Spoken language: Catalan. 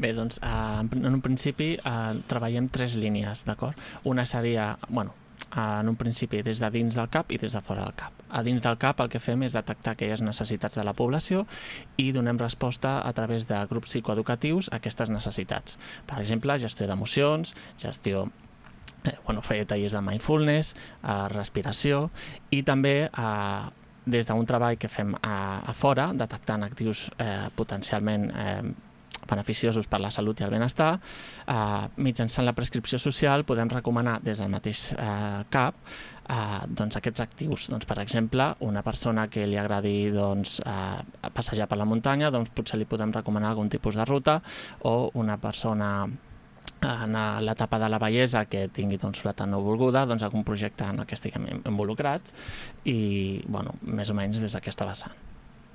Bé, doncs en un principi treballem 3 línies, d'acord? Una seria, en un principi des de dins del CAP i des de fora del CAP. A dins del CAP el que fem és detectar aquelles necessitats de la població i donem resposta a través de grups psicoeducatius a aquestes necessitats. Per exemple, gestió d'emocions, fer tallers de mindfulness, respiració i també des d'un treball que fem a fora, detectant actius potencialment beneficiosos per la salut i el benestar, mitjançant la prescripció social podem recomanar des del mateix CAP aquests actius. Per exemple, una persona que li agradi passejar per la muntanya, potser li podem recomanar algun tipus de ruta, o una persona en l'etapa de la bellesa que tingui soledat no volguda, algun projecte en el que estiguem involucrats i més o menys des d'aquesta vessant.